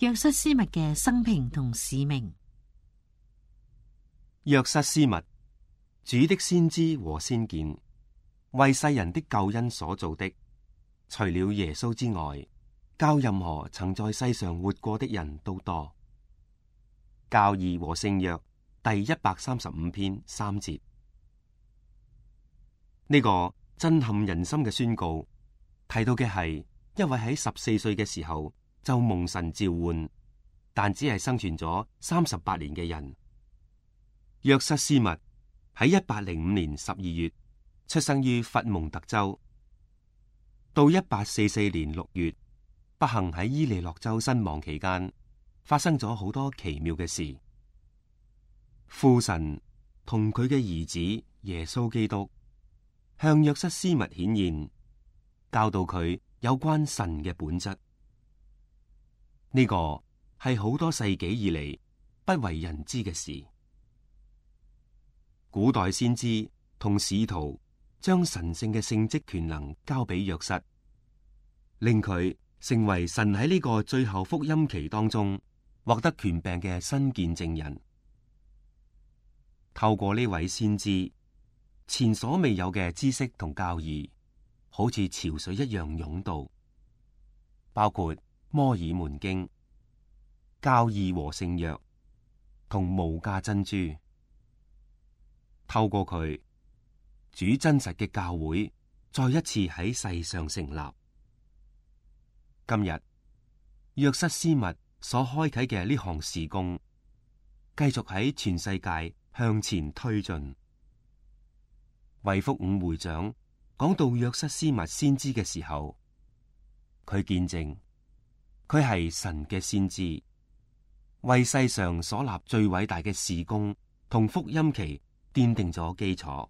約瑟斯密嘅生平同使命。約瑟斯密，主的先知和先見，為世人的救恩所造的，除了耶穌之外，較任何曾在世上活過的人都多。教義和聖約第135篇3節。呢個震撼人心嘅宣告，提到嘅係一位喺14歲嘅時候就蒙神召喚，但只係生存咗38年嘅人。約瑟斯密喺1805年12月出生於佛蒙特州，到1844年6月不幸喺伊利諾州身亡期間，發生咗好多奇妙嘅事。父神同佢嘅兒子耶穌基督向約瑟斯密顯現，教導佢有關神嘅本質。呢個係好多世紀以嚟不為人知嘅事。古代先知同使徒將神聖嘅聖職權能交俾約瑟，令佢成為神喺呢個最後福音期當中獲得權柄嘅新見證人。透過呢位先知，前所未有嘅知識同教義，好似潮水一樣湧到，包括摩爾門經、教義和聖約同無價珍珠。透過佢，主真實嘅教會再一次喺世上成立。今日約瑟斯密所開啟嘅呢項事工，繼續喺全世界向前推進。衛福五會長講到約瑟斯密先知嘅時候，佢見證佢係神嘅先知，為世上所立最偉大嘅事工同福音期奠定咗基礎。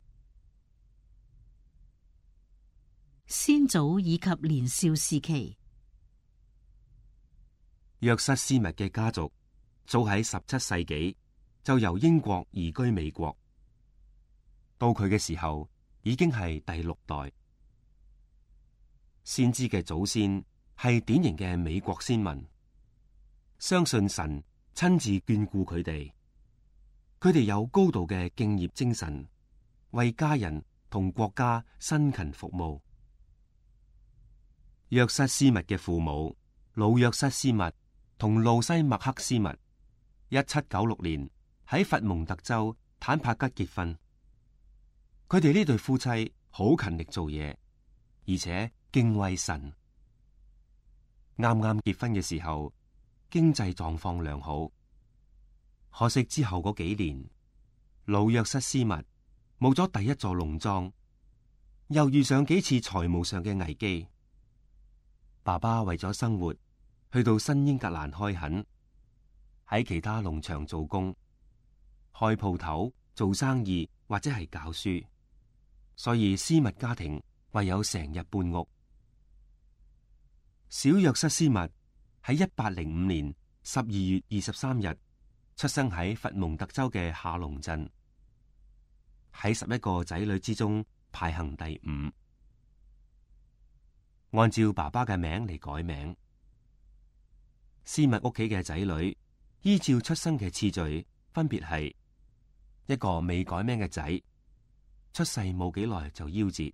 先祖以及年少時期。約瑟斯密嘅家族早喺17世紀就由英國移居美國，到佢嘅時候已經係第6代。先知嘅祖先係典型嘅美國先民，相信神親自眷顧佢哋。佢哋有高度嘅敬業精神，為家人同國家辛勤服務。約瑟斯密嘅父母老約瑟斯密同路西麥克斯密1796年喺佛蒙特州坦帕吉結婚。佢哋呢對夫妻好勤力做嘢，而且敬畏神。啱啱結婚嘅時候，經濟狀況良好。可惜之後嗰幾年，老約瑟斯密冇咗第一座農莊，又遇上幾次財務上嘅危機。爸爸為咗生活，去到新英格蘭開墾，喺其他農場做工、開鋪頭、做生意或者係教書，所以斯密家庭唯有成日搬屋。小約瑟斯密喺1805年12月23日出生喺佛蒙特州嘅下龍鎮，喺11個仔女之中排行第5。按照爸爸嘅名嚟改名，斯密屋企嘅仔女依照出生嘅次序，分別係一個未改名嘅仔，出世冇幾耐就夭折；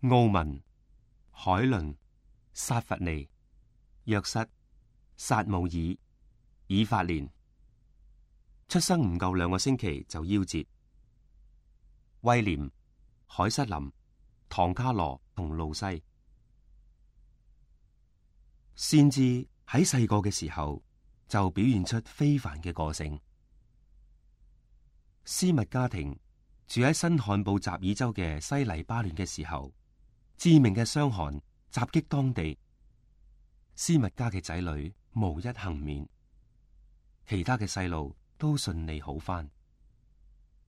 奧文、海倫、薩弗尼、約瑟、撒姆爾、以法蓮，出生唔夠2個星期就夭折；威廉、海瑟琳、唐卡羅同路西。先知喺細個嘅時候就表現出非凡嘅個性。斯密家庭住喺新罕布什爾州嘅西黎巴嫩嘅時候，致命嘅傷寒襲擊當地，斯密家嘅仔女無一幸免，其他嘅細路都順利好返，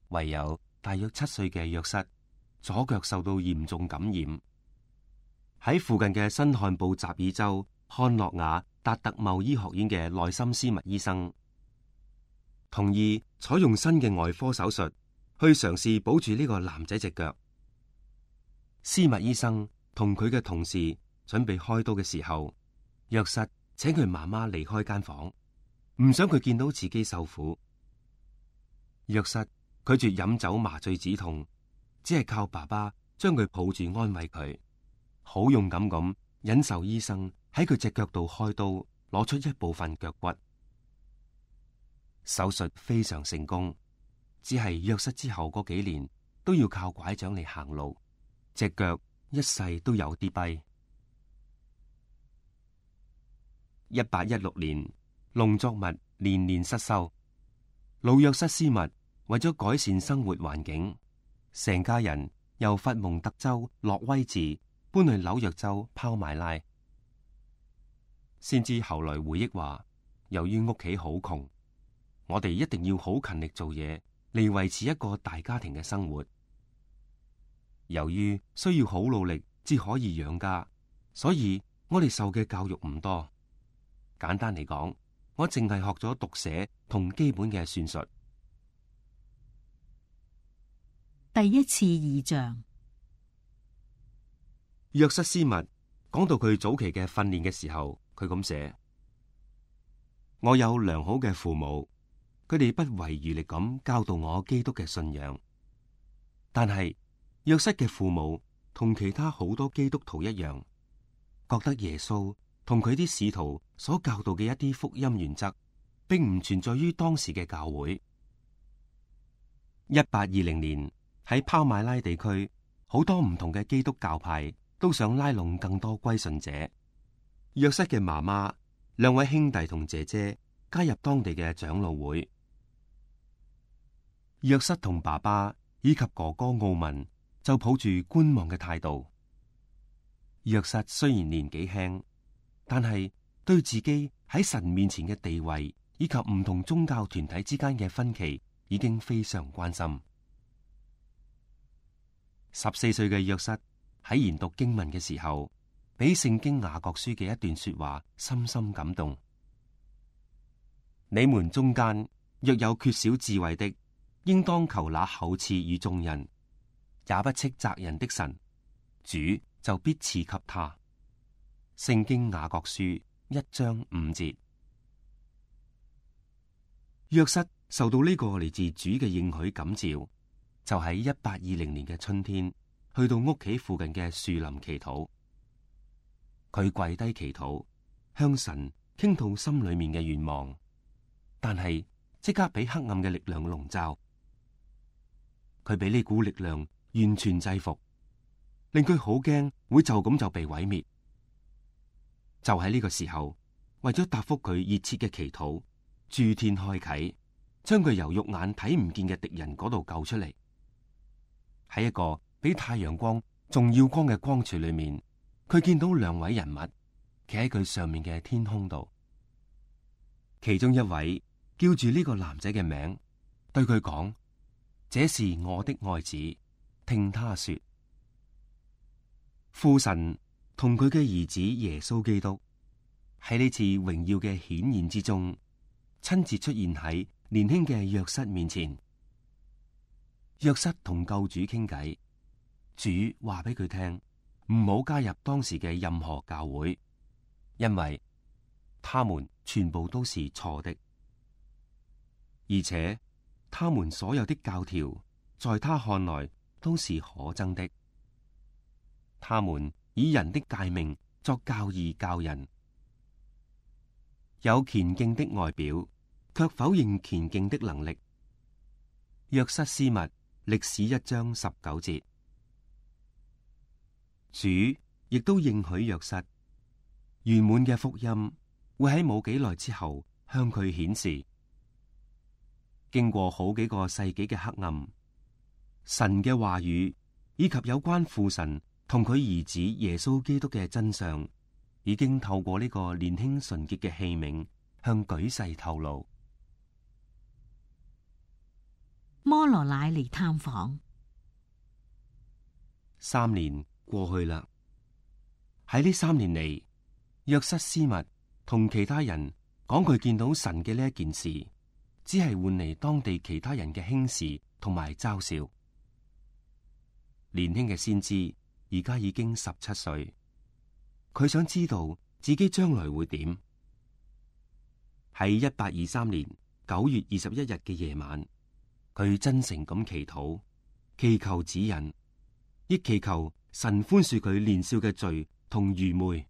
唯有大約7歲嘅約瑟左腳受到嚴重感染。喺附近嘅新罕布什爾州漢諾瓦達特茂醫學院嘅內森斯密醫生同意採用新嘅外科手術去嘗試保住呢個男仔隻腳。斯密醫生同佢嘅同事準備開刀嘅時候，約瑟請佢媽媽離開間房，唔想佢見到自己受苦。約瑟拒絕飲酒麻醉止痛，只係靠爸爸將佢抱住安慰佢，好勇敢咁忍受醫生喺佢隻腳度開刀，攞出一部分腳骨。手術非常成功，只係約瑟之後嗰幾年都要靠拐杖嚟行路，隻腳一世都有啲跛。1816年，農作物年年失收，老約瑟斯密為咗改善生活環境，成家人由佛蒙特州洛威治搬去紐約州拋買拉。先知後來回憶話，由於屋企好窮，我哋一定要好勤力做嘢嚟維持一個大家庭嘅生活。由於需要好努力至可以養家，所以我哋受嘅教育唔多。簡單嚟講，我淨係學咗讀寫同基本嘅算術。第一次異象。約瑟斯密講到佢早期嘅訓練嘅時候，佢咁寫：我有良好嘅父母，佢哋不遺餘力咁教導我基督嘅信仰。但係約瑟嘅父母同其他好多基督徒一樣，覺得耶穌同佢啲使徒所教導嘅一啲福音原則，並唔存在於當時嘅教會。1820年喺拋買拉地區，好多唔同嘅基督教派都想拉攏更多歸信者。約瑟嘅媽媽、兩位兄弟同姐姐加入當地嘅長老會。約瑟同爸爸以及哥哥奧文就抱住觀望嘅態度。約瑟雖然年紀輕，但係對自己喺神面前嘅地位以及唔同宗教團體之間嘅分歧已經非常關心。14歲嘅約瑟喺研讀經文嘅時候，俾聖經雅各書嘅一段說話深深感動。你們中間若有缺少智慧的，應當求那厚賜與眾人，也不斥責人的神，主就必賜給他。聖經雅各書1章5節。約瑟受到呢個嚟自主嘅應許感召，就喺1820年嘅春天，去到屋企附近嘅樹林祈禱。佢跪低祈禱，向神傾吐心裏面嘅願望，但係即刻俾黑暗嘅力量籠罩。佢俾呢股力量完全制服，令佢好驚會就咁就被毀滅。就喺呢個時候，為咗答復佢熱切嘅祈禱，諸天開啟，將佢由肉眼睇唔見嘅敵人嗰度救出嚟。喺一個比太陽光仲要光嘅光柱裏面，佢見到兩位人物企喺佢上面嘅天空度。其中一位叫住呢個男仔嘅名，對佢講：這是我的愛子，聽他說。父神同佢嘅兒子耶穌基督喺呢次榮耀嘅顯現之中，親自出現喺年輕嘅約瑟面前。約瑟同救主傾偈，主話俾佢聽，唔好加入當時嘅任何教會，因為他們全部都是錯的，而且他們所有的教條在他看來都是可憎的。他們以人的誡命作教義教人，有虔敬的外表，卻否認虔敬的能力。約瑟斯密歷史1章19節。主亦都應許約瑟，圓滿嘅福音會喺冇幾耐之後向佢顯示。經過好幾個世紀嘅黑暗，神嘅話語以及有關父神同佢兒子耶穌基督嘅真相，已經透過呢個年輕純潔嘅器皿向舉世透露。摩羅乃嚟探訪。3年過去啦，喺呢3年嚟，約瑟斯密同其他人講佢見到神嘅呢一件事，只係換嚟當地其他人嘅輕視同埋嘲笑。年輕嘅先知而家已經17歲，佢想知道自己將來會點，喺1823年9月21日嘅夜晚，佢真誠咁祈禱，祈求指引，亦祈求神寬恕佢年少嘅罪同愚昧。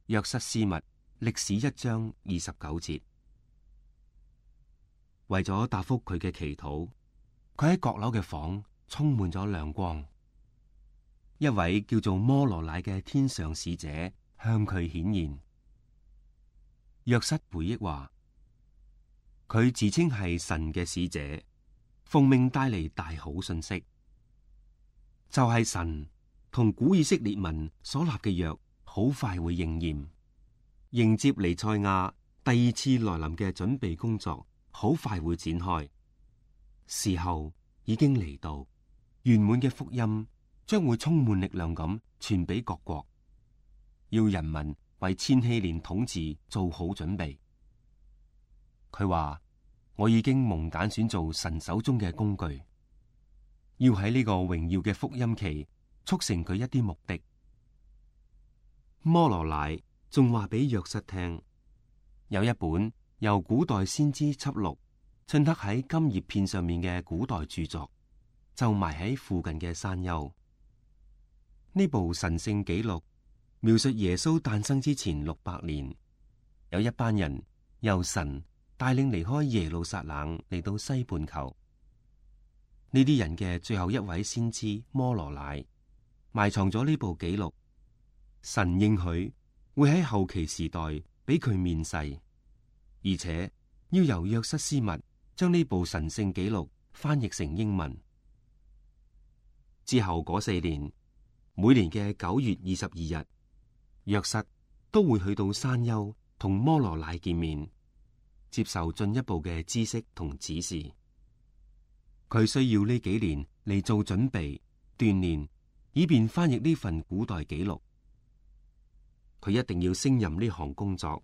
約瑟斯密歷史1章29節。為咗答覆佢嘅祈禱，佢喺閣樓嘅房充滿咗亮光。一位叫做摩羅乃嘅天上使者向佢顯現。約瑟回憶話，佢自稱係神嘅使者，奉命帶嚟大好信息，就係神同古以色列民所立嘅約好快會應驗，迎接彌賽亞第2次來臨嘅準備工作好快會展開，時候已經嚟到，圓滿嘅福音將會充滿力量咁傳俾各國，要人民為千禧年統治做好準備。佢話，我已經蒙揀選做神手中嘅工具，要喺呢個榮耀嘅福音期促成佢一啲目的。摩羅乃仲話俾約瑟聽，有一本由古代先知輯錄襯刻喺金葉片上面嘅古代著作，就埋喺附近嘅山丘。呢部神聖紀錄描述耶穌誕生之前600年，有一班人由神帶領離開耶路撒冷嚟到西半球。呢啲人嘅最後一位先知摩羅乃埋藏咗呢部紀錄，神應許會喺後期時代俾佢面世，而且要由約瑟斯密將呢部神聖紀錄翻譯成英文。之後嗰4年，每年嘅9月22日，約瑟都會去到山丘同摩羅乃見面，接受進一步嘅知識同指示。佢需要呢幾年嚟做準備鍛煉，以便翻譯呢份古代紀錄。佢一定要勝任呢項工作，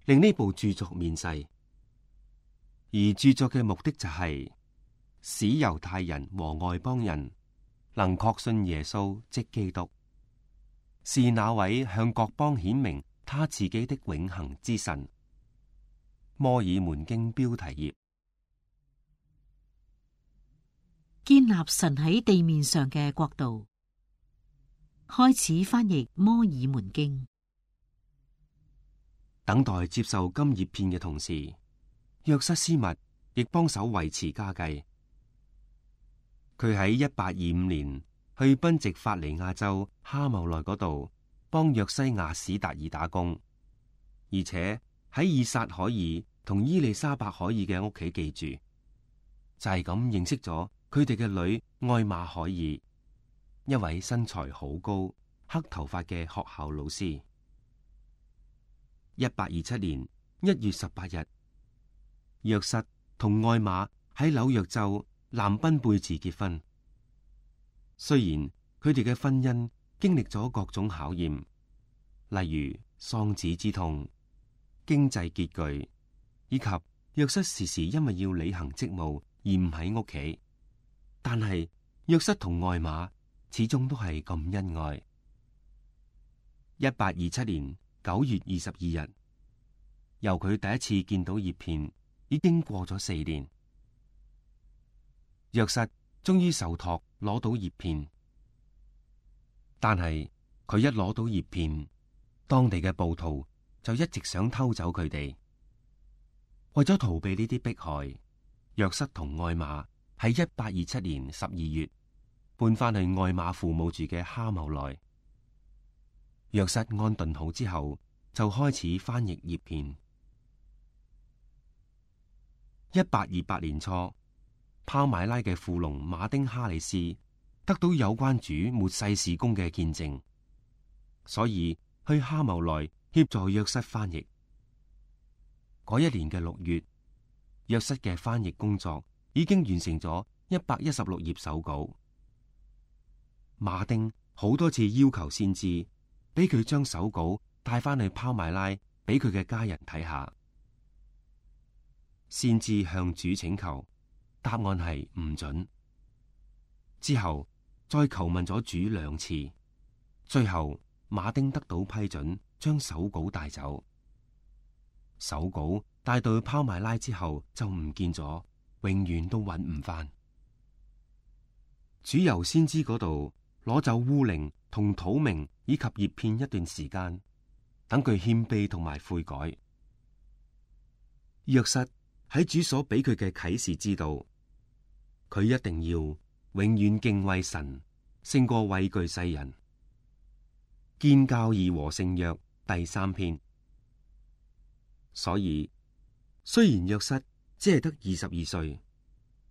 令呢部著作面世。而著作嘅目的就係使猶太人和外邦人能確信耶穌即基督，是那位向各邦顯明他自己的永恆之神。摩爾門經標題頁。建立神喺地面上嘅國度。開始翻譯摩爾門經。等待接受金葉片嘅同時，約瑟斯密亦幫手維持家計。佢喺1825年去賓夕法尼亞州哈茂內嗰度幫約西亞史達爾打工，而且喺以撒可爾同伊麗莎白可爾嘅屋企寄住，就係咁認識咗佢哋嘅女愛瑪可爾，一位身材好高、黑頭髮嘅學校老師。1827年1月18日，約瑟同愛瑪喺紐約州南賓貝治結婚。雖然佢哋嘅婚姻經歷咗各種考驗，例如喪子之痛、經濟拮據，以及約瑟時時因為要履行職務而唔喺屋企，但係約瑟同愛瑪始終都係咁恩愛。1827年9月22日，由佢第一次見到葉片，已經過咗4年。約瑟終於受託攞到葉片，但係佢一攞到葉片，當地嘅暴徒就一直想偷走佢哋。為咗逃避呢啲迫害，約瑟同愛瑪喺1827年12月搬翻去愛瑪父母住嘅哈茂內。約瑟安頓好之後，就開始翻譯葉片。1828年初，拋買拉嘅富農馬丁哈里斯得到有關主末世事工嘅見證，所以去哈茂內協助約瑟翻譯。嗰一年嘅6月，約瑟嘅翻譯工作已經完成咗116頁手稿。馬丁好多次要求先知俾佢將手稿帶翻去拋買拉俾佢嘅家人睇下。先知向主請求，答案係唔准。之後再求問咗主2次，最後馬丁得到批准，將手稿帶走。手稿帶到去拋埋拉之後就唔見咗，永遠都揾唔返。主由先知嗰度攞走烏靈同土明以及葉片一段時間，等佢謙卑同埋悔改。約瑟喺主所俾佢嘅啟示知道，佢一定要永遠敬畏神，勝過畏懼世人。建教義和聖約第3篇。所以雖然約瑟只係得22歲，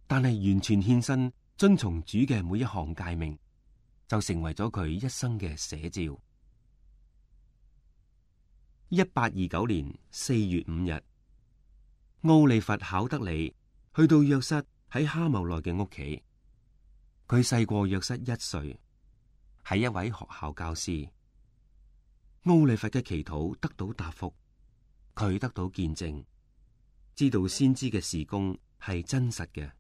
但係完全獻身遵從主嘅每一項誡命，就成為咗佢一生嘅寫照。1829年4月5日，奧利弗考德里去到約瑟喺哈茂內嘅屋企。佢細過約瑟1歲，係一位學校教師。奧利弗嘅祈禱得到答覆，佢得到見證，知道先知嘅事工係真實嘅。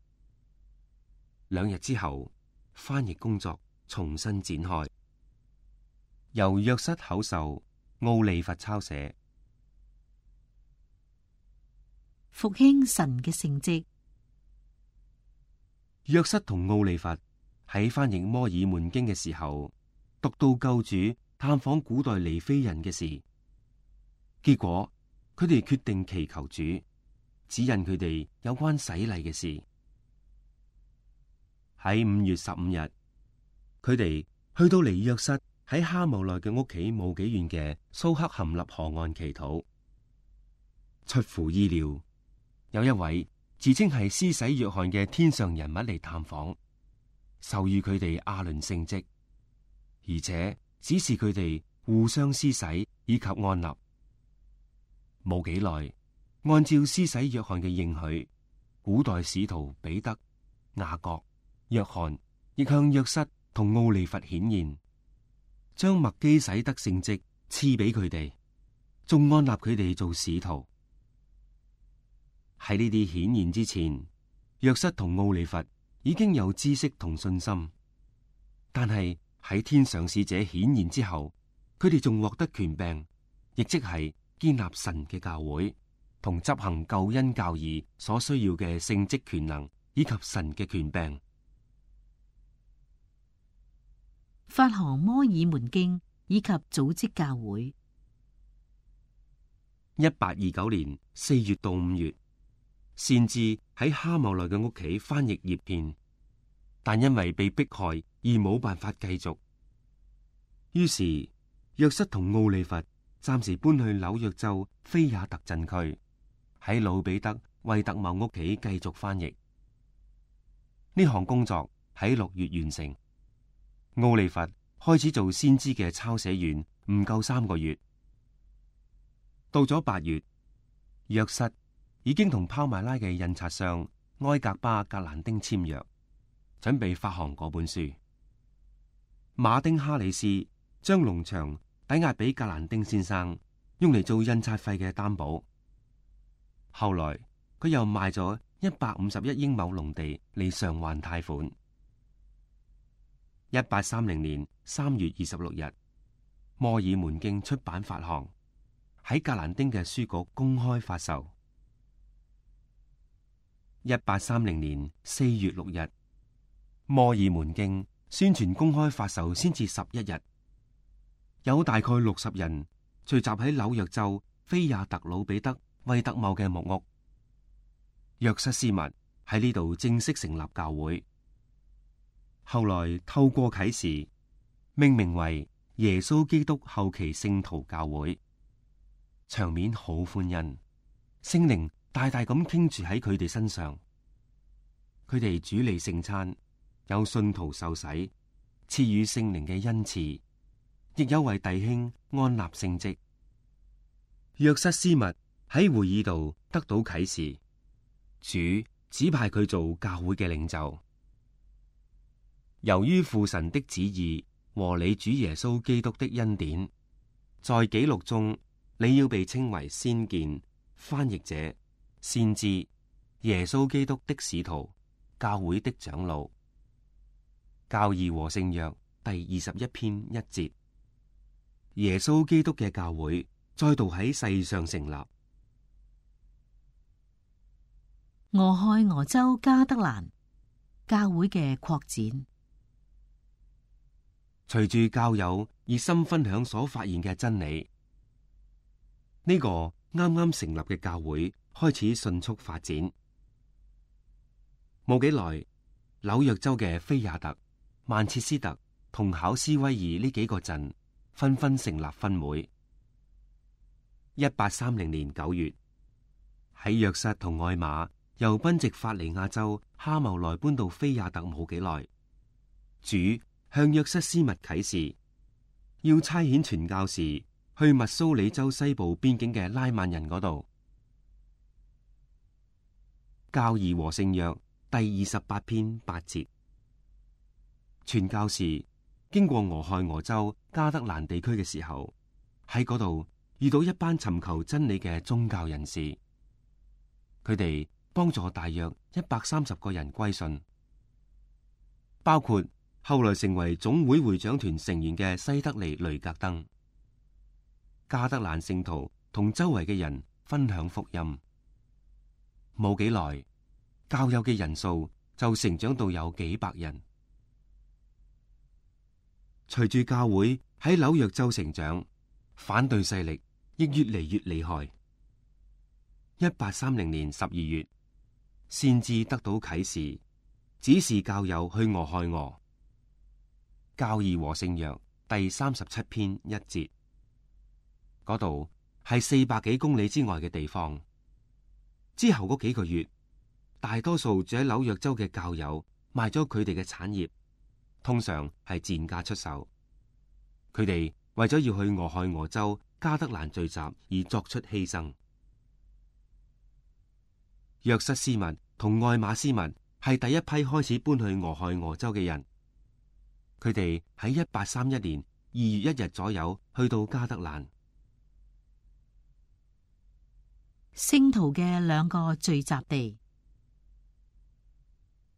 2日之後，翻譯工作重新展開，由約瑟口授，奧利弗抄寫。復興神嘅聖蹟。約瑟同奧利弗喺翻譯摩爾門經嘅時候，讀到救主探訪古代尼非人嘅事，結果佢哋決定祈求主指引佢哋有關洗禮嘅事。喺5月15日，佢哋去到離約瑟喺哈姆內嘅屋企冇幾遠嘅蘇克含納河岸祈禱。出乎意料，有一位自稱係施洗約翰嘅天上人物嚟探訪，授予佢哋亞倫聖職，而且指示佢哋互相施洗以及按立。冇幾耐，按照施洗約翰嘅應許，古代使徒彼得、雅各、約翰亦向約瑟同奧利弗顯現，將麥基洗德聖職賜俾佢哋，仲按立佢哋做使徒。喺呢啲顯現之前，約瑟同奧利弗已經有知識同信心，但係喺天上使者顯現之後，佢哋仲獲得權柄，亦即係建立神嘅教會同執行救恩教義所需要嘅聖職權能以及神嘅權柄。發行摩爾門經以及組織教會。1829年4月到5月，先至喺哈茂內嘅屋企翻譯葉片，但因為被迫害而冇辦法繼續，於是約瑟同奧利弗暫時搬去紐約州菲亞特鎮區，喺魯比德惠特茂屋企繼續翻譯。呢項工作喺6月完成。奧利弗開始做先知嘅抄寫員，唔夠3個月。到咗8月，約瑟已經同拋麥拉嘅印刷商埃格巴格蘭丁簽約，準備發行嗰本書。馬丁哈里斯將農場抵押俾格蘭丁先生，用嚟做印刷費嘅擔保。後來佢又賣咗151英畝農地嚟償還貸款。1830年3月26日，摩爾門經出版發行，喺格蘭丁嘅書局公開發售。1830年4月6日，摩爾門經宣傳公開發售先至11日，有大概60人聚集喺紐約州菲亞特魯比德惠特茂嘅木屋。約瑟斯密喺呢度正式成立教會，後來透過啟示命名為耶穌基督後期聖徒教會，場面好歡欣，聖靈大大咁傾注喺佢哋身上。佢哋主理聖餐，有信徒受洗，賜予聖靈嘅恩賜，亦有為弟兄安立聖職。約瑟斯密喺會議度得到啟示，主指派佢做教會嘅領袖。由於父神的旨意和你主耶穌基督的恩典，在紀錄中你要被稱為先見、翻譯者、先知、耶穌基督的使徒、教會的長老。教義和聖約第21篇1節。耶穌基督嘅教會再度喺世上成立，俄亥俄州加德蘭教會嘅擴展。隨住教友熱心分享所發現嘅真理，呢個啱啱成立嘅教會開始迅速發展。冇幾耐，紐約州嘅菲亞特、曼徹斯特同考斯威爾呢幾個鎮紛紛成立分會。1830年9月，喺約瑟同愛瑪由賓夕法尼亞州哈茂萊搬到菲亞特冇幾耐，主向約瑟斯密啟示，要差遣傳教士去密蘇里州西部邊境嘅拉曼人嗰度。教義和聖約第28篇8節，傳教士經過俄亥俄州加德蘭地區嘅時候，喺嗰度遇到一班尋求真理嘅宗教人士，佢哋幫助大約130個人歸信，包括後來成為總會會長團成員嘅西德尼雷格登。加德蘭聖徒同周圍嘅人分享福音，冇幾耐，教友嘅人數就成長到有幾百人。隨住教會喺紐約州成長，反對勢力亦越嚟越厲害。1830年12月，先知得到啟示，指示教友去俄亥俄。教義和聖約第37篇1節，嗰度係400幾公里之外嘅地方。之後嗰幾個月，大多數住喺紐約州嘅教友賣咗佢哋嘅產業，通常係賤價出售。佢哋為咗要去俄亥俄州加德蘭聚集而作出犧牲。約瑟斯密同愛馬斯密係第一批開始搬去俄亥俄州嘅人。佢哋喺1831年2月1日左右去到加德蘭。聖徒嘅兩個聚集地。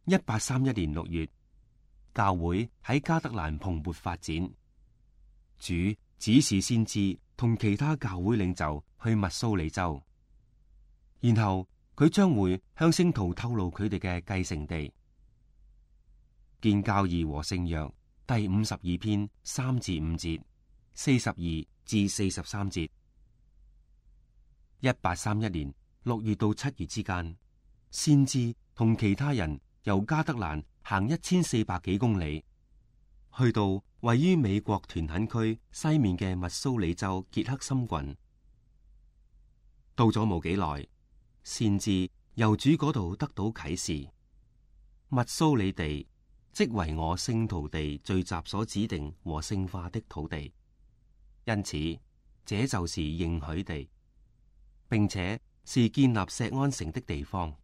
1831年6月，教會喺加德蘭蓬勃發展。主指示先知同其他教會領袖去密蘇里州，然後佢將會向聖徒透露佢哋嘅繼承地。見教義和聖約第52篇3至5節，42至43節。1831年6月到7月之間，先知同其他人由加德蘭行1400幾公里，去到位於美國屯墾區西面嘅密蘇里州傑克森郡。到咗冇幾耐，先知由主嗰度得到啟示，密蘇里地即為我聖徒地聚集所指定和聖化的土地，因此這就是應許地，並且是建立錫安城的地方。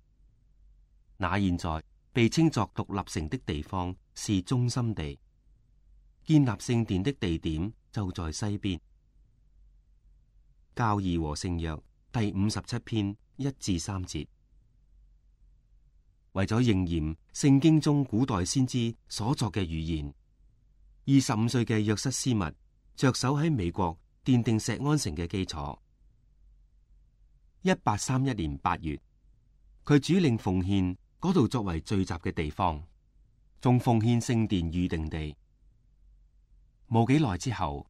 那現在被稱作獨立城的地方是中心地，建立聖殿的地點就在西邊。教義和聖約第57篇1至3節。為咗應驗聖經中古代先知所作嘅預言，25歲嘅約瑟斯密着手喺美國奠定錫安城嘅基礎。1831年8月，佢主領奉獻嗰度作為聚集嘅地方，仲奉獻聖殿預定地。冇幾耐之後，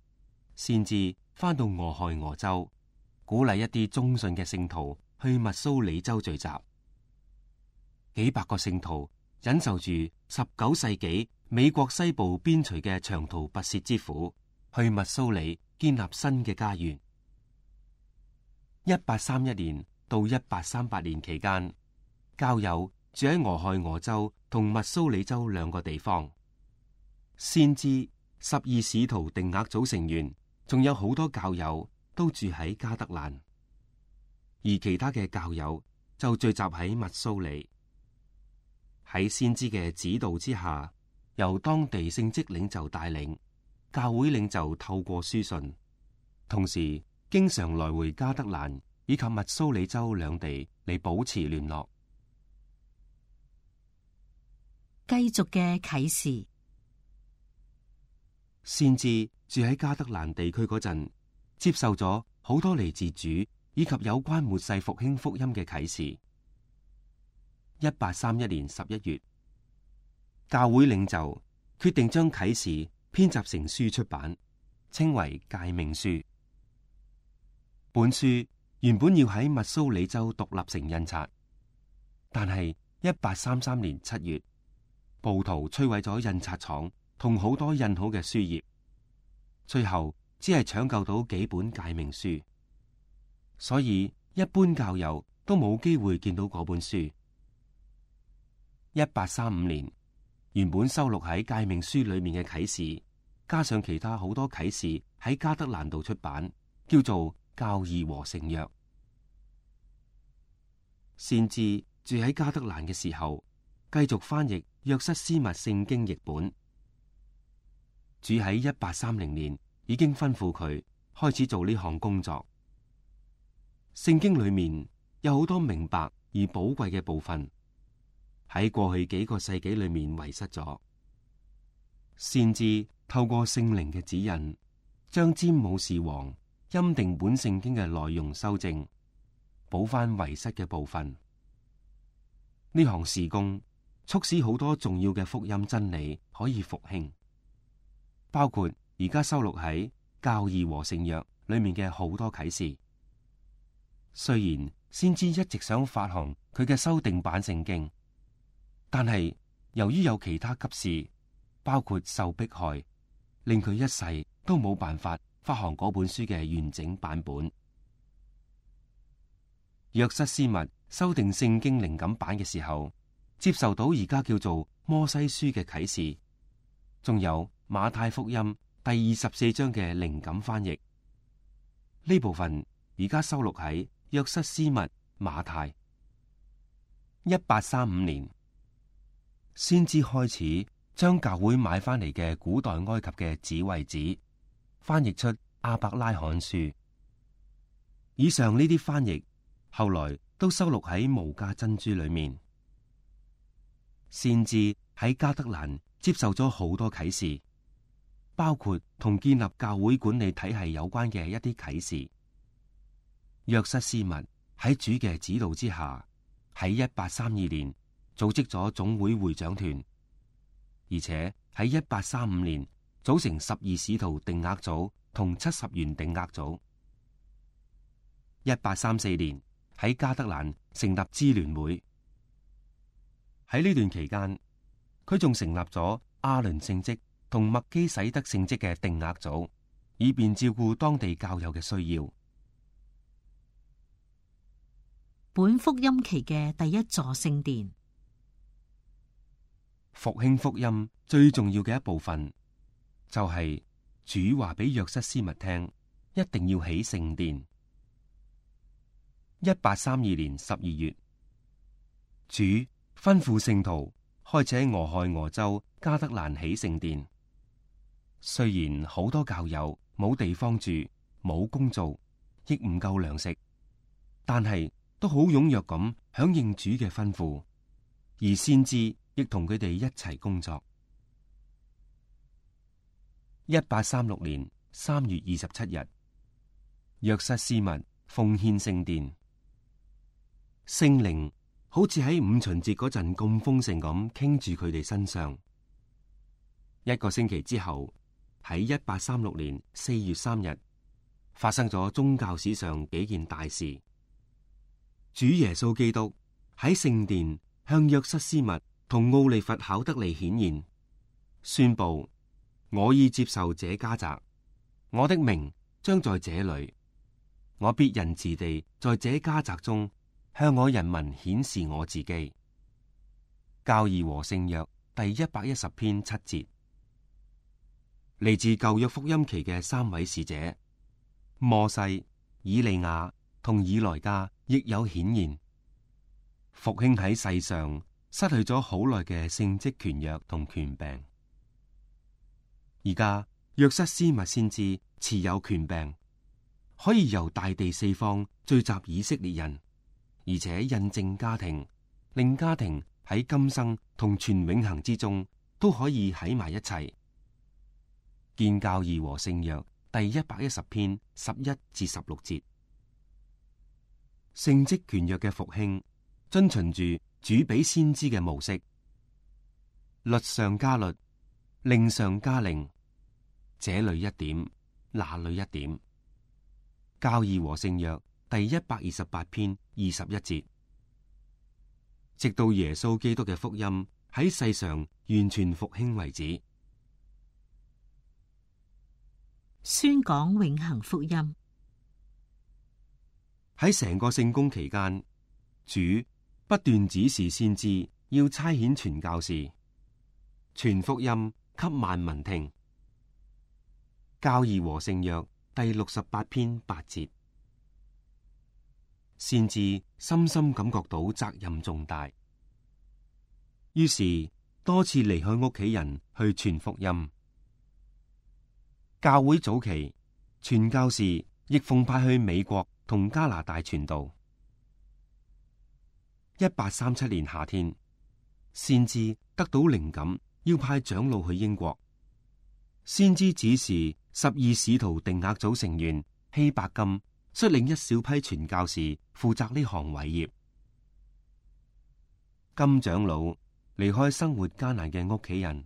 先至返到俄亥俄州，鼓勵一啲忠信嘅聖徒去密蘇里州聚集。幾百個聖徒忍受住19世紀美國西部邊陲嘅長途跋涉之苦，去密蘇里建立新嘅家園。1831年到1838年期間，教友住喺俄亥俄州同密蘇里州兩個地方。先知12使徒定額組成員，仲有好多教友都住喺加德蘭，而其他嘅教友就聚集喺密蘇里。喺先知嘅指導之下，由當地聖職領袖帶領，教會領袖透過書信，同時經常來回加德蘭以及密蘇里州兩地嚟保持聯絡。繼續嘅啟示。先知住喺加德蘭地區嗰陣，接受咗好多嚟自主以及有關末世復興福音嘅啟示。1831年11月，教會領袖決定將啟示編集成書出版，稱為《誡命書》。本書原本要喺密蘇里州獨立城印刷，但係1833年7月，暴徒摧毀咗印刷廠同好多印好嘅書頁，最後只係搶救到幾本誡命書，所以一般教友都冇機會見到嗰本書。1835年，原本收錄喺誡命書裏面嘅啟示，加上其他好多啟示喺加德蘭度出版，叫做《教義和聖約》。先知住喺加德蘭嘅時候，繼續翻譯約瑟斯密聖經譯本。主喺1830年已經吩咐佢開始做呢項工作。聖經裏面有好多明白而寶貴嘅部分，喺過去幾個世紀裏面遺失咗。先知透過聖靈嘅指引，將詹姆士王欽定本聖經嘅內容修正，補翻遺失嘅部分。呢項事工促使好多重要嘅福音真理可以復興，包括而家收錄喺《教義和聖約》裏面嘅好多啟示。雖然先知一直想發行佢嘅修訂版聖經，但係由於有其他急事，包括受迫害，令佢一世都冇辦法發行嗰本書嘅完整版本。約瑟斯密修訂聖經靈感版嘅時候，接受到而家叫做摩西書嘅啟示，仲有馬太福音第24章嘅靈感翻譯。呢部分而家收錄喺約瑟斯密馬太。1835年，先至開始將教會買翻嚟嘅古代埃及嘅智慧子翻譯出阿伯拉罕書。以上呢啲翻譯後來都收錄喺無價珍珠裏面。先至喺加德蘭接受咗好多啟示，包括同建立教會管理體系有關嘅一啲啟示。約瑟斯密喺主嘅指導之下，喺1832年組織咗總會會長團，而且喺1835年組成12使徒定額組同70員定額組。1834年喺加德蘭成立支聯會。喺呢段期間，佢仲成立咗阿倫聖職同麥基洗德聖職嘅定額組，以便照顧當地教友嘅需要。本福音期嘅第一座聖殿。復興福音最重要嘅一部分，就係主話俾約瑟斯密聽，一定要起聖殿。1832年12月，主吩咐聖徒開始喺俄亥俄州加德蘭起聖殿。雖然好多教友冇地方住、冇工做，亦唔夠糧食，但係都好踴躍咁響應主嘅吩咐，而先知亦同佢哋一齊工作。1836年3月27日，約瑟斯密奉獻聖殿。聖靈好似喺五旬節嗰陣咁豐盛咁傾住佢哋身上。一個星期之後，喺1836年4月3日，發生咗宗教史上幾件大事。主耶穌基督喺聖殿向約瑟斯密同奧利弗考德利顯現，宣布：我已接受這家宅，我的名將在這裏，我必仁慈地在這家宅中向我人民顯示我自己。教義和聖約第110篇7節。嚟自舊約福音期嘅3位使者摩西、以利亞同以萊加亦有顯現。復興喺世上失去咗好耐嘅聖職權約同權柄，而家約瑟斯密先知持有權柄，可以由大地四方聚集以色列人，而且印證家庭，令家庭喺今生同全永恆之中都可以喺埋一齊。見教義和聖約第110篇11至16節。聖職權約嘅復興遵循住主俾先知嘅模式，律上加律，令上加令，這裏一點，那裏一點。教義和聖約第128篇21節，直到耶穌基督嘅福音喺世上完全復興為止。宣講永恆福音。喺成個聖工期間，主不斷指示先知要差遣傳教士，傳福音給萬民聽。教義和聖約第68篇8節，先知深深感覺到責任重大，於是多次離開屋企人去傳福音。教會早期，傳教士亦奉派去美國同加拿大傳道。1837年夏天，先知得到靈感，要派長老去英國。先知指示12使徒定額組成員希伯金率領一小批傳教士負責呢項偉業。金長老離開生活艱難嘅屋企人，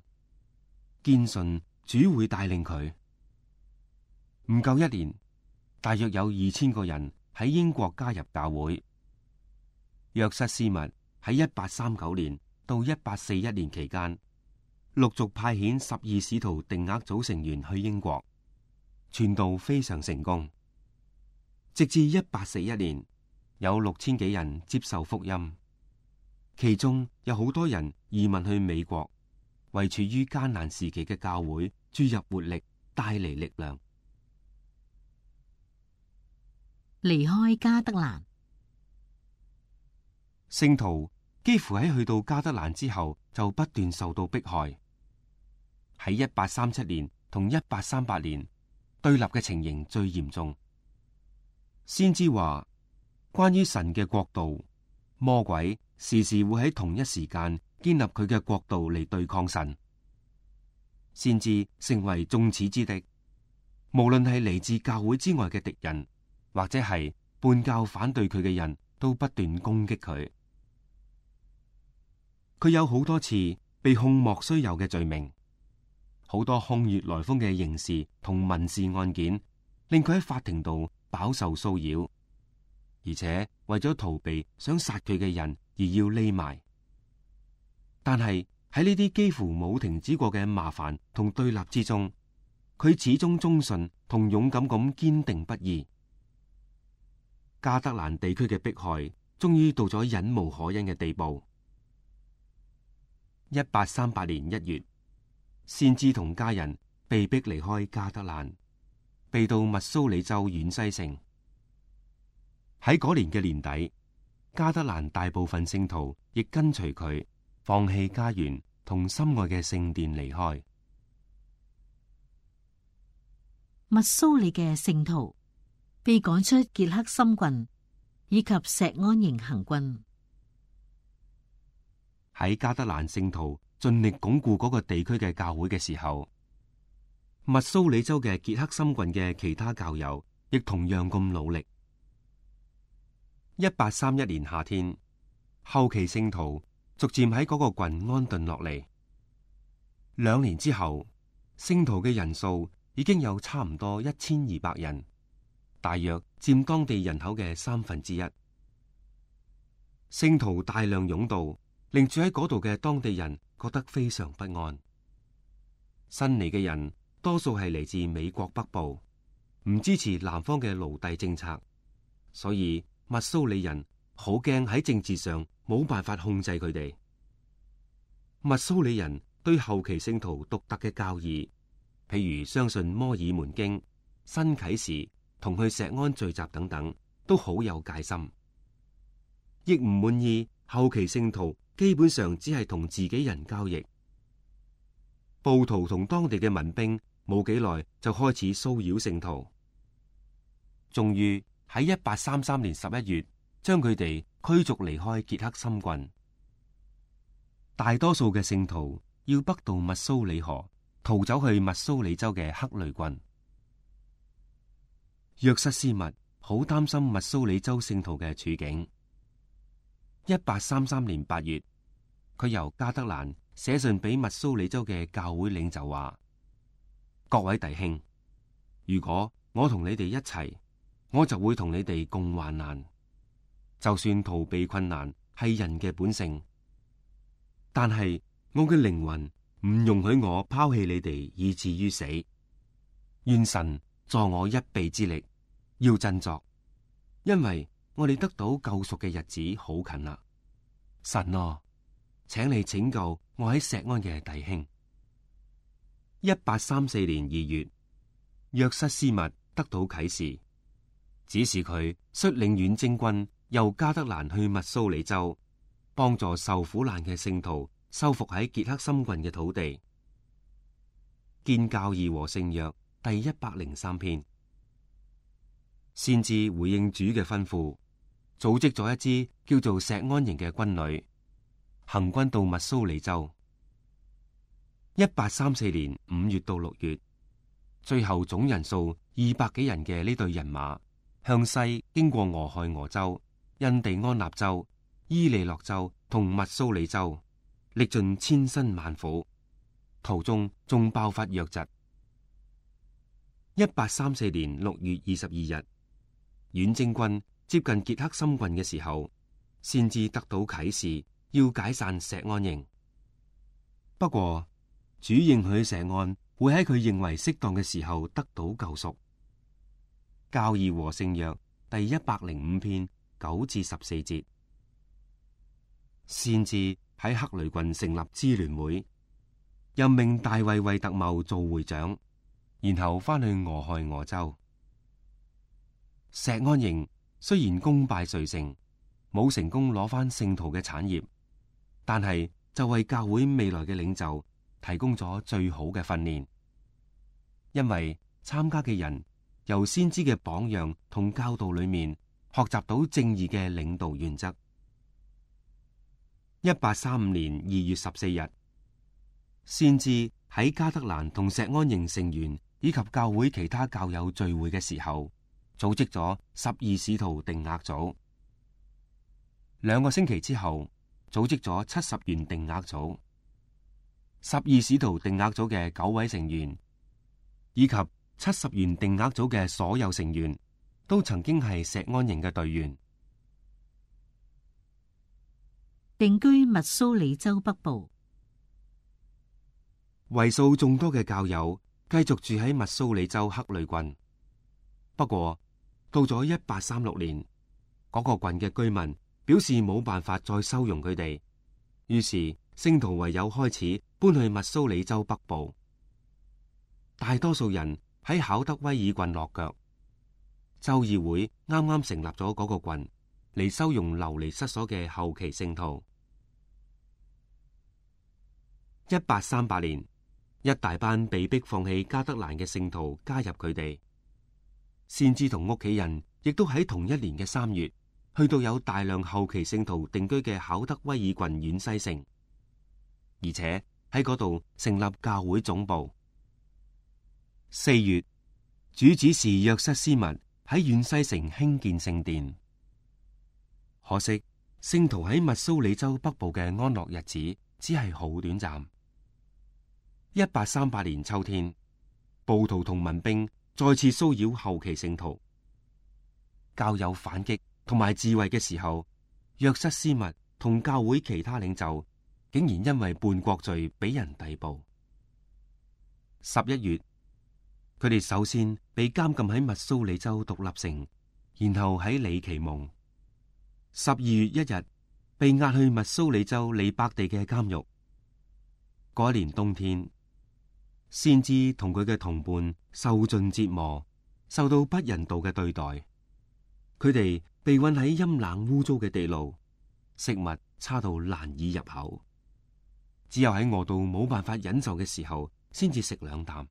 堅信主會帶領佢。唔夠一年，大約有2000個人喺英國加入教會。約瑟斯密喺1839年到1841年期間，陸續派遣12使徒定額組成員去英國，傳道非常成功。直至1841年，有6000幾人接受福音，其中有好多人移民去美國，為處於艱難時期嘅教會注入活力，帶嚟力量。離開加德蘭，聖徒幾乎喺去到加德蘭之後就不斷受到迫害。喺1837年同1838年，對立嘅情形最嚴重。先知話，關於神嘅國度，魔鬼時時會喺同一時間建立佢嘅國度嚟對抗神。先知成為眾矢之的，無論係嚟自教會之外嘅敵人，或者係叛教反對佢嘅人，都不斷攻擊佢。佢有好多次被控莫須有嘅罪名，好多空穴來風嘅刑事同民事案件，令佢喺法庭度飽受騷擾，而且為咗逃避想殺佢嘅人而要匿埋。但係喺呢啲幾乎冇停止過嘅麻煩同對立之中，佢始終忠信同勇敢咁堅定不移。加德蘭地區嘅迫害終於到咗忍無可忍嘅地步。1838年1月，先知同家人被迫離開加德蘭，避到密蘇里州遠西城。喺嗰年嘅年底，加德蘭大部分聖徒亦跟隨佢，放棄家園同心愛嘅聖殿離開。密蘇里嘅聖徒被趕出傑克森郡以及錫安營行軍。喺加德蘭聖徒盡力鞏固嗰個地區嘅教會嘅時候，密蘇里州嘅傑克森郡嘅其他教友亦同樣咁努力。1831年夏天，後期聖徒逐漸喺嗰個郡安頓落嚟。2年之後，聖徒嘅人數已經有差唔多1200人，大約佔當地人口嘅1/3。聖徒大量湧到，令住喺嗰度嘅當地人覺得非常不安。新嚟嘅人多數係嚟自美國北部，唔支持南方嘅奴隸政策，所以密蘇里人好驚喺政治上冇辦法控制佢哋。密蘇里人對後期聖徒獨特嘅教義，譬如相信摩爾門經、新啟示同去錫安聚集等等，都好有戒心，亦唔滿意後期聖徒基本上只係同自己人交易。暴徒同當地嘅民兵冇幾耐就開始騷擾聖徒，終於喺1833年11月將佢哋驅逐離開傑克森郡。大多數嘅聖徒要北渡密蘇里河，逃走去密蘇里州嘅克雷郡。約瑟斯密好擔心密蘇里州聖徒嘅處境。1833年8月，佢由加德蘭寫信俾密蘇里州嘅教會領袖話：各位弟兄，如果我同你哋一齊，我就會同你哋共患難。就算逃避困難係人嘅本性，但係我嘅靈魂唔容許我拋棄你哋以至於死。願神助我一臂之力，要振作，因為我哋得到救贖嘅日子好近啦。神啊，請你拯救我喺錫安嘅弟兄。1834年2月，約瑟斯密得到啟示，指示佢率領遠征軍由加德蘭去密蘇里州，幫助受苦難嘅聖徒收復喺傑克森郡嘅土地。見教義和聖約第103篇。先知回應主嘅吩咐，組織咗一支叫做錫安營嘅軍旅，行軍到密蘇里州。1834年5月到6月，最後總人數200幾人嘅呢隊人馬，向西經過俄亥俄州、印第安納州、伊利諾州同密蘇里州，歷盡千辛萬苦，途中仲爆發瘧疾。1834年6月22日，遠征軍接近傑克森郡嘅時候，先至得到啟示，要解散錫安營。不過主應許錫安會喺佢認為適當嘅時候得到救贖。教義和聖約第105篇9至14節。先至喺克雷郡成立支聯會，任命大衛惠特茂做會長，然後翻去俄亥俄州。錫安營雖然功敗垂成，冇成功攞翻聖徒嘅產業，但係就為教會未來嘅領袖提供咗最好嘅訓練，因為參加嘅人由先知嘅榜樣同教導裏面學習到正義嘅領導原則。1835年2月14日，先知喺加德蘭同錫安營成員以及教會其他教友聚會嘅時候，組織咗12使徒定額組。2個星期之後，組織咗70員定額組。12使徒定額組嘅9位成員，以及70員定額組嘅所有成員，都曾經係錫安營嘅隊員。定居密蘇里州北部，為數眾多嘅教友繼續住喺密蘇里州克雷郡。不過到咗1836年，嗰個郡嘅居民表示冇辦法再收容佢哋，於是聖徒唯有開始搬去密蘇里州北部。大多數人喺考德威爾郡落腳。州議會啱啱成立咗嗰個郡嚟收容流離失所嘅後期聖徒。1838年，一大班被逼放棄加德蘭嘅聖徒加入佢哋。先知同屋企人亦都喺同一年嘅3月，去到有大量後期聖徒定居嘅考德威爾郡縣西城，而且喺嗰度成立教會總部。4月，主指示約瑟斯密喺縣西城興建聖殿。可惜聖徒喺密蘇里州北部嘅安樂日子只係好短暫。1838年秋天，暴徒同民兵再次騷擾後期聖徒。教友反擊同埋自衛嘅時候，約瑟斯密同教會其他領袖竟然因為叛國罪俾人逮捕。11月，佢哋首先被監禁喺密蘇里州獨立城，然後喺里奇蒙。12月1日，被押去密蘇里州利伯地嘅監獄。嗰一年冬天，先知同佢嘅同伴受盡折磨，受到不人道嘅對待。佢哋被困喺陰冷污糟嘅地牢，食物差到難以入口，只有喺餓到冇辦法忍受嘅時候，先至食2啖。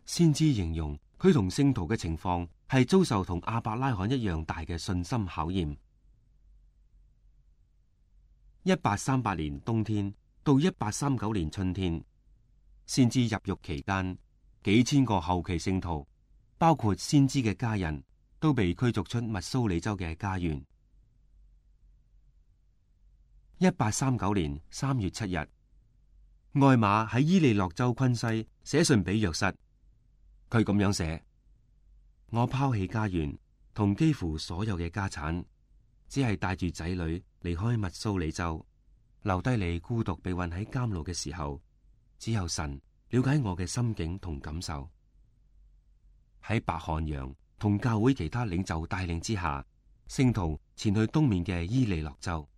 先知形容佢同聖徒嘅情況係遭受同亞伯拉罕一樣大嘅信心考驗。1838年冬天到1839年春天，先知入獄期間，幾千個後期聖徒，包括先知嘅家人，都被驅逐出密蘇里州嘅家園。1839年3月7日，艾瑪喺伊利諾州昆西寫信俾約瑟，佢咁樣寫：我拋棄家園同幾乎所有嘅家產，只係帶住仔女離開密蘇里州，留低你孤獨被困喺監牢嘅時候，只有神了解我嘅心境同感受。喺白漢陽同教會其他領袖帶領之下，聖徒前去東面嘅伊利諾州。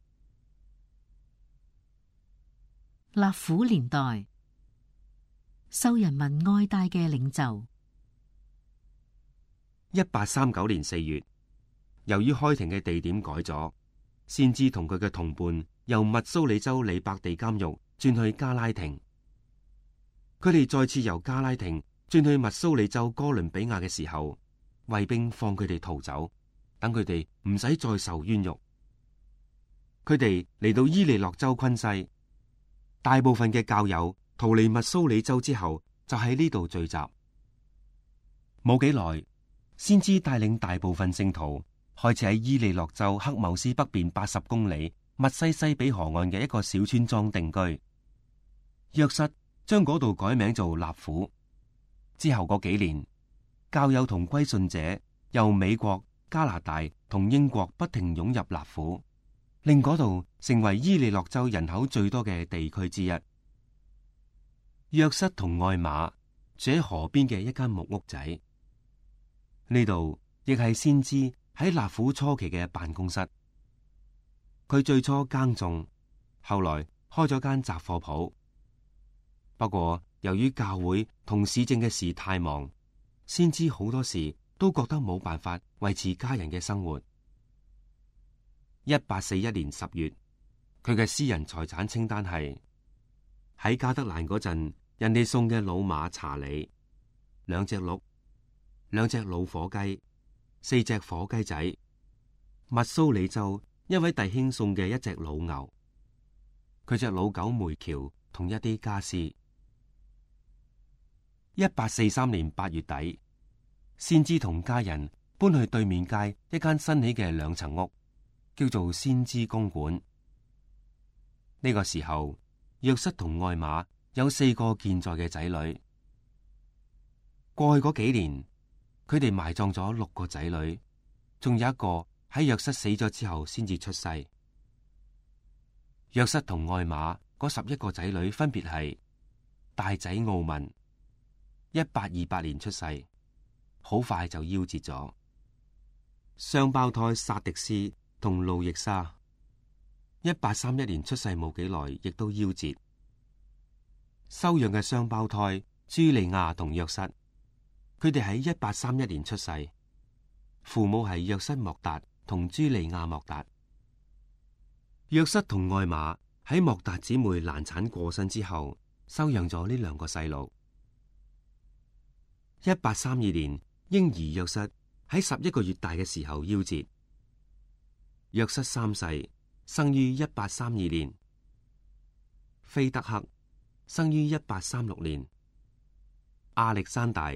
納苦年代，受人民愛戴嘅領袖。1839年4月，由於開庭嘅地點改咗，先知同佢嘅同伴由密蘇里州里伯地監獄轉去加拉廷。佢哋再次由加拉廷轉去密蘇里州哥倫比亞嘅時候，衛兵放佢哋逃走，等佢哋唔使再受冤獄。佢哋嚟到伊利諾州昆西，大部分嘅教友逃離密蘇里州之後，就喺呢度聚集。冇幾耐，先知帶領大部分聖徒開始喺伊利諾州克繆斯北邊80公里密西西比河岸嘅一個小村莊定居。約瑟將嗰度改名做納苦。之後嗰幾年，教友同歸信者由美國、加拿大同英國不停湧入納苦，令嗰度成為伊利諾州人口最多嘅地區之一。約瑟同艾瑪住喺河邊嘅一間木屋仔，呢度亦係先知喺納苦初期嘅辦公室。佢最初耕種，後來開咗間雜貨鋪。不過由於教會同市政嘅事太忙，先知好多時都覺得冇辦法維持家人嘅生活。1841年10月，佢嘅私人財產清單係喺加德蘭嗰陣，人哋送嘅老馬查理，2隻鹿，2隻老火雞，4隻火雞仔，密蘇里州一位弟兄送嘅1隻老牛，佢隻老狗梅喬同一啲家私。1843年8月底，先知同家人搬去對面街一間新起嘅2層屋，叫做先知公館。呢個時候，約瑟同艾瑪有4個健在嘅仔女。過去嗰幾年，佢哋埋葬咗6個仔女，仲有一個喺約瑟死咗之後先至出世。約瑟同艾瑪嗰11個仔女分別係大仔奧文，1828年出世，好快就夭折咗；雙胞胎薩迪斯同路易莎，1831年出世冇幾耐，亦都夭折。收養嘅雙胞胎朱利亞同約瑟，佢哋喺1831年出世，父母係約瑟莫達同朱利亞莫達。約瑟同艾瑪喺莫達姊妹難產過身之後，收養咗呢2個細路。1832年，嬰兒約瑟喺11個月大嘅時候夭折。約瑟3世，生於1832年；菲德克生於1836年；亞歷山大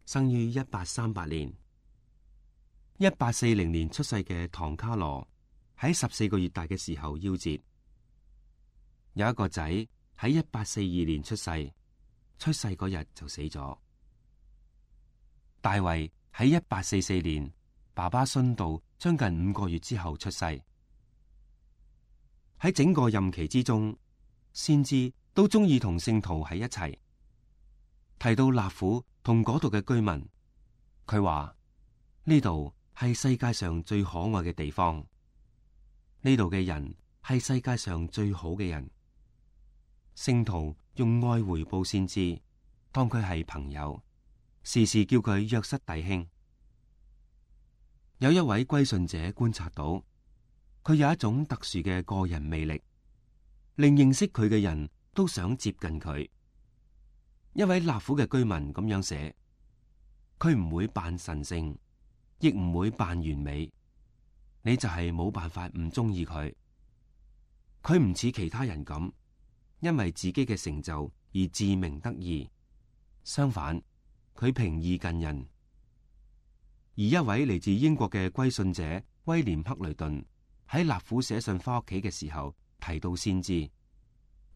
生於1838年。1840年出世嘅唐卡羅喺14個月大嘅時候夭折。有一個仔喺1842年出世，出世嗰日就死咗。大衛喺1844年，爸爸殉道將近5個月之後出世。喺整個任期之中，先知都中意同聖徒喺一齊。提到納苦同嗰度嘅居民，佢話呢度係世界上最可愛嘅地方，呢度嘅人係世界上最好嘅人。聖徒用愛回報先知，當佢係朋友，時時叫佢約瑟弟兄。有一位歸信者觀察到，佢有一種特殊嘅個人魅力，令認識佢嘅人都想接近佢。一位納苦嘅居民咁樣寫：佢唔會扮神聖，亦唔會扮完美，你就係冇辦法唔中意佢。佢唔似其他人咁，因為自己嘅成就而自鳴得意，相反，佢平易近人。而一位嚟自英國嘅歸信者威廉克雷頓喺納苦寫信翻屋企嘅時候，提到先知，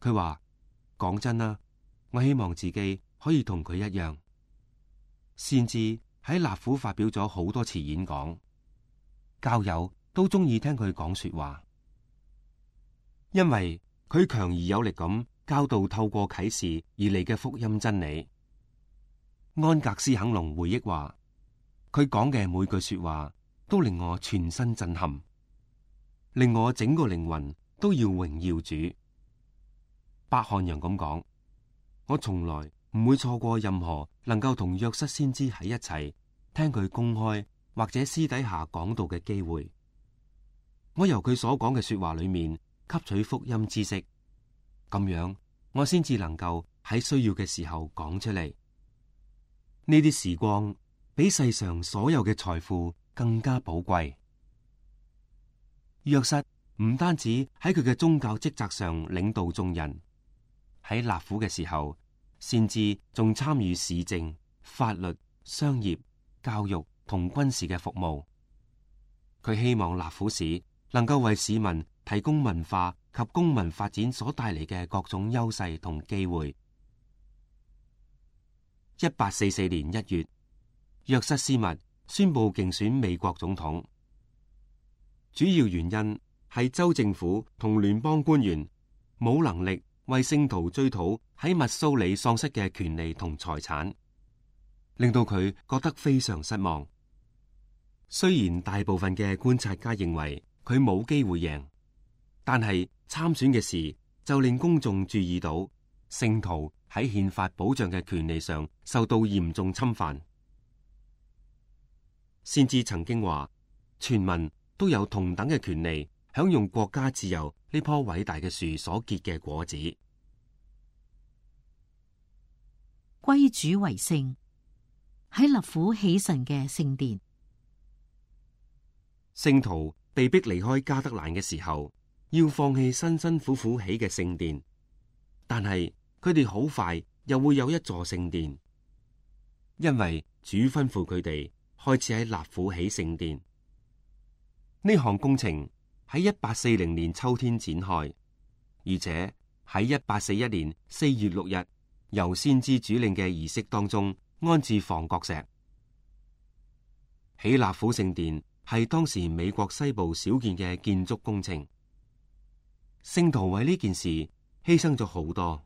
佢話：講真啦，我希望自己可以同佢一樣。先知喺納府發表咗好多次演講，教友都中意聽佢講說話，因為佢強而有力咁教導透過啟示而嚟嘅福音真理。安格斯肯隆回憶話，佢講嘅每句說話都令我全身震撼，令我整個靈魂都要榮耀主。伯漢陽咁講，我從來唔會錯過任何能夠同約瑟先知喺一齊聽佢公開或者私底下講道嘅機會。我由佢所講嘅說話裏面吸取福音知識，咁樣我先至能夠喺需要嘅時候講出嚟。呢啲時光比世上所有嘅財富更加寶貴。約瑟唔單止喺佢嘅宗教職責上領導眾人，喺納府嘅時候，先至仲參與市政、法律、商業、教育同軍事嘅服務。佢希望納府市能夠為市民提供文化及公民發展所帶嚟嘅各種優勢同機會。1844年1月，約瑟斯密宣布競選美國總統，主要原因係州政府同聯邦官員冇能力為聖徒追討喺密蘇里喪失嘅權利同財產，令到佢覺得非常失望。雖然大部分嘅觀察家認為佢冇機會贏，但係參選嘅事就令公眾注意到聖徒喺憲法保障嘅權利上受到嚴重侵犯。先知曾經話，全民都有同等嘅權利享用國家自由呢棵偉大嘅樹所結嘅果子。歸主為聖，喺納府起神嘅聖殿。聖徒被逼離開加德蘭嘅時候，要放棄辛辛苦苦起嘅聖殿，但係佢哋好快又會有一座聖殿，因為主吩咐佢哋開始喺納府起聖殿。呢項工程喺1840年秋天展開，而且喺1841年4月6日由先知主領嘅儀式當中安置房角石。起納府聖殿係當時美國西部少見嘅建築工程，聖徒為呢件事犧牲咗好多，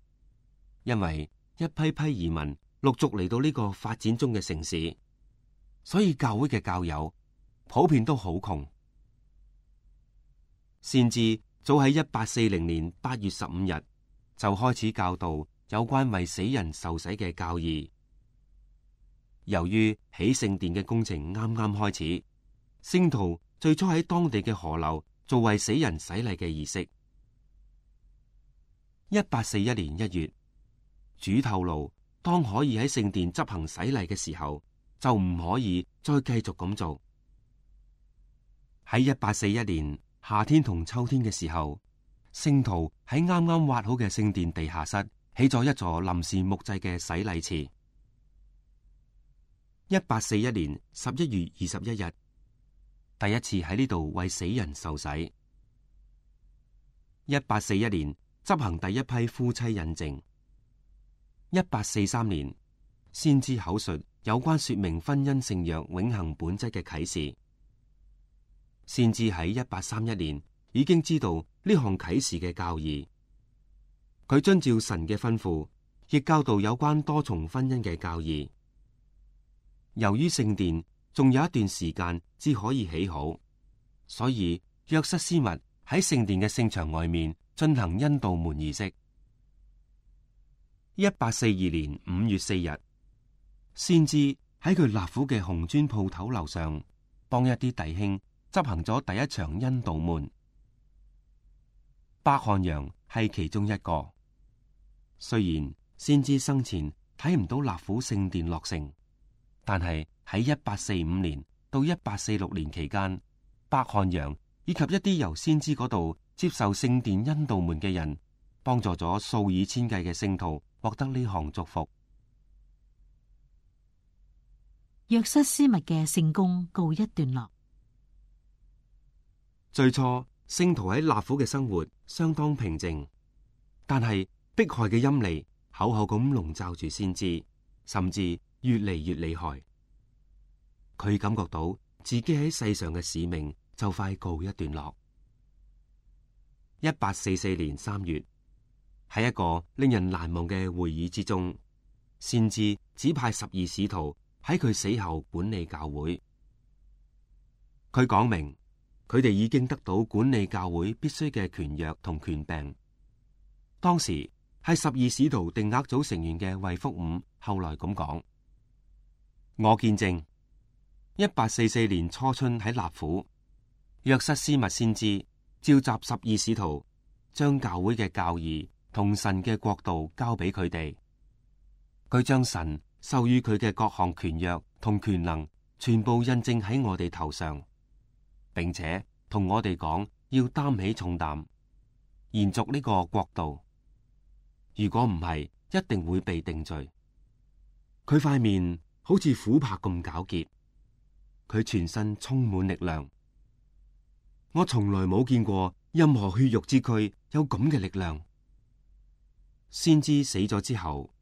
因為一批批移民陸續嚟到呢個發展中嘅城市，所以教會嘅教友普遍都好窮。先知早喺1840年8月15日就開始教導有關為死人受洗嘅教義。由於起聖殿嘅工程啱啱開始，聖徒最初喺當地嘅河流做為死人洗禮嘅儀式。1841年1月，主透露，當可以喺聖殿執行洗禮嘅時候，就唔可以再繼續咁做。喺1841年夏天同秋天嘅時候，聖徒喺啱啱挖好嘅聖殿地下室起咗一座臨時木製嘅洗禮池。1841年11月21日，第一次喺呢度為死人受洗。1841年執行第一批夫妻印證。1843年先知口述有關說明婚姻聖約永恆本質嘅啟示。先知喺1831年已經知道呢項啟示嘅教義，佢遵照神嘅吩咐，亦教導有關多重婚姻嘅教義。由於聖殿仲有一段時間至可以起好，所以約瑟斯密喺聖殿嘅聖場外面進行恩道門儀式。1842年5月4日，先知喺佢納府嘅紅磚鋪頭樓上幫一啲弟兄執行咗第一場恩道門。伯漢陽係其中一個。雖然先知生前睇唔到納府聖殿落成，但係喺1845年到1846年期間，伯漢陽以及一啲由先知嗰度接受聖殿恩道門嘅人，幫助咗數以千計嘅聖徒獲得呢項祝福。約瑟斯密嘅聖功告一段落。最初聖徒喺納府嘅生活相當平靜，但係迫害嘅陰霾厚厚咁籠罩住先知，甚至越嚟越厲害。佢感覺到自己喺世上嘅使命就快告一段落。1844年3月，喺一個令人難忘嘅會議之中，先知指派12使徒喺佢死後管理教會。佢講明佢哋已經得到管理教會必須嘅權約同權柄。當時係12使徒定額組成員嘅衛福五後來咁講：我見證1844年初春喺納府，約瑟斯密先知召集12使徒，將教會嘅教義同神嘅國度交俾佢哋。佢將神授予佢嘅各項權約同權能全部印證喺我哋頭上，並且同我哋講要擔起重擔，延續呢個國度。如果唔係，一定會被定罪。佢塊面好似琥珀咁皎潔，佢全身充滿力量。我從來冇見過任何血肉之軀有咁嘅力量。先知死咗之後，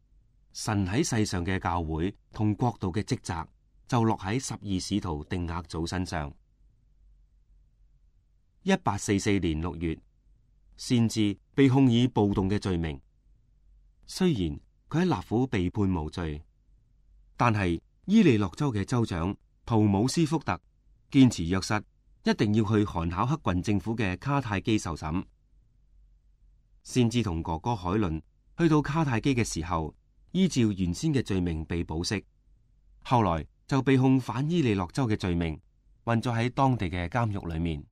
神喺世上嘅教會同國度嘅職責就落喺12使徒定額組身上。1844年6月，先知被控以暴動嘅罪名。雖然佢喺納府被判無罪，但係伊利諾州嘅州長圖姆斯福特堅持約瑟一定要去韓考克郡政府嘅卡泰基受審。先知同哥哥海倫去到卡泰基嘅時候，依照原先嘅罪名被保釋，後來就被控反伊利諾州嘅罪名，困咗喺當地嘅監獄裏面。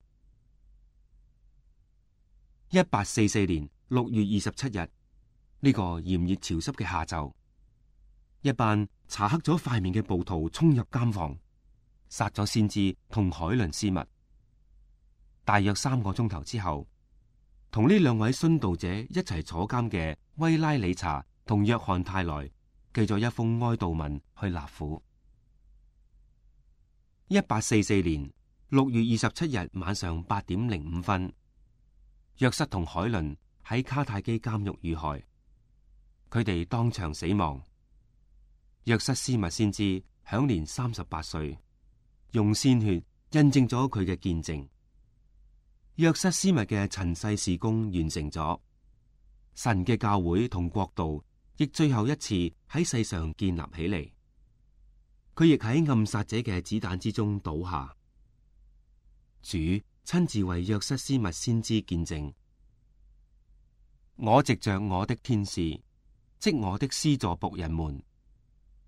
1844年6月27日，呢個炎熱潮濕嘅下晝，一班搽黑咗塊面嘅暴徒衝入監房，殺咗先知同海倫斯密。大約3個鐘頭之後，同呢2位殉道者一齊坐監嘅威拉理查同約翰泰萊寄咗一封哀悼文去納府。1844年6月27日晚上8點05分，約瑟同海倫喺卡泰基監獄遇害，佢哋當場死亡。約瑟斯密先知享年38歲，用鮮血印證咗佢嘅見證。約瑟斯密嘅塵世事工完成咗，神嘅教會同國度亦最後一次喺世上建立起嚟。佢亦喺暗殺者嘅子彈之中倒下。主親自為約瑟斯密先知見證：我藉着我的天使，即我的施助僕人們，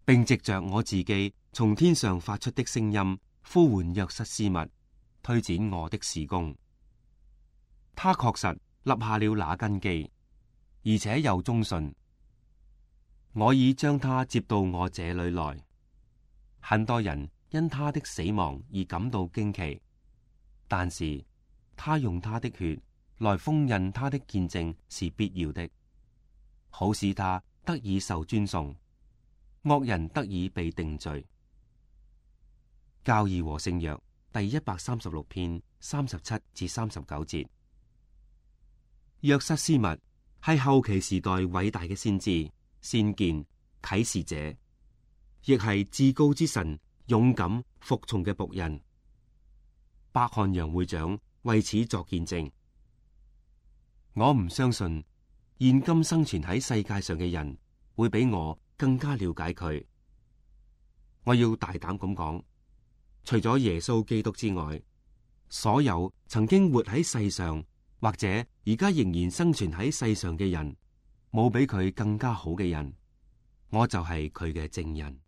並藉着我自己從天上發出的聲音，呼喚約瑟斯密，推展我的事工。他確實立下了那根基，而且又忠信。我已將他接到我這裏來。很多人因他的死亡而感到驚奇，但是他用他的血來封印他的見證是必要的，好使他得以受尊崇，惡人得以被定罪。教義和聖約第136篇37至39節。約瑟斯密係後期時代偉大嘅先知、先見、啟示者，亦係至高之神勇敢服從嘅僕人。伯漢楊會長為此作見證。我唔相信現今生存喺世界上嘅人會比我更加了解佢。我要大膽咁講，除咗耶穌基督之外，所有曾經活喺世上或者而家仍然生存喺世上嘅人，冇比佢更加好嘅人，我就係佢嘅證人。